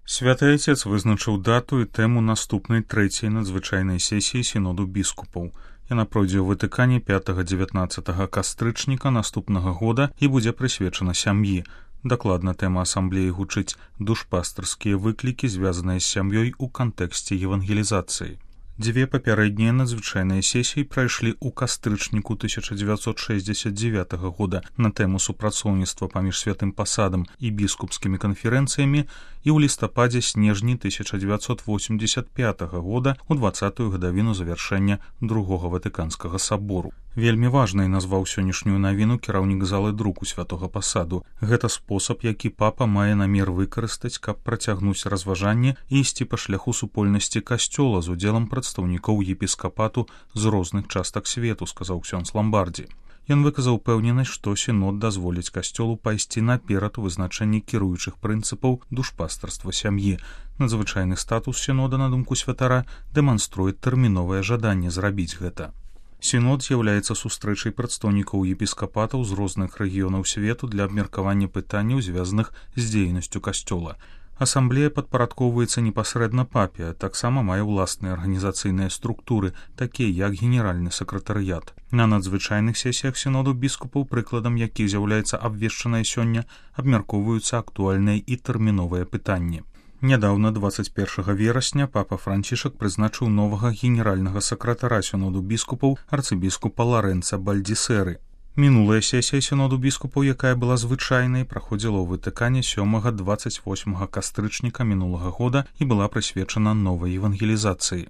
Святы Отец вызначыў дату і тэму наступнай трэцяй надзвычайнай сесіі сіноду біскупаў. Яна пройдзе ў Ватыкане 5-19 кастрычніка наступнага года і будзе прысвечана сям'і. Дакладна тэма асамблеі гучыць душпастарскія выклікі, звязаныя з сям'ёй у кантэксце евангелізацыі. Дзве папярэднія надзвычайныя сесіі прайшлі ў кастрычніку 1969 года на тэму супрацоўніцтва паміж святым пасадам і біскупскімі канферэнцыямі і ў лістападзе-снежні 1985 года у 20-ю гадавіну завяршэння другога Ватыканскага сабору. Вельмі важнай назваў сённяшнюю навіну кіраўнік залы друку святога пасаду. Гэта спосаб, які папа мае намер выкарыстаць, каб працягнуць разважанне і ісці па шляху супольнасці касцёла з удзелам прадстаўнікоў епіскапату з розных частак свету, сказаў ксёндз Ламбардзі. Ён выказаў упэўненасць, што сінод дазволіць касцёлу пайсці наперад у вызначэнні кіруючых прынцыпаў душпастарства сям'і. Надзвычайны статус сінода, на думку святара, дэманструе тэрміновае жаданне зрабіць гэта. Сінод з'яўляецца сустрэчай прадстаўнікоў епіскапатаў з розных рэгіёнаў свету для абмеркавання пытанняў, звязаных з дзейнасцю касцёла. Асамблея падпарадкоўваецца непасрэдна папе, таксама мае ўласныя арганізацыйныя структуры, такія як генеральны сакратарыят. На надзвычайных сесіях сіноду біскупаў, прыкладам якіх з'яўляецца абвешчанае сёння, абмяркоўваюцца актуальныя і тэрміновыя пытанні. Нядаўна, 21 верасня, папа Францішак прызначыў новага генеральнага сакратара сіноду біскупаў арцыбіскупа Ларэнца Бальдзісеры. Мінулая сесія сіноду біскупаў, якая была звычайнай, праходзіла ў Ватыкане 7-28 кастрычніка мінулага года і была прысвечана новай евангелізацыі.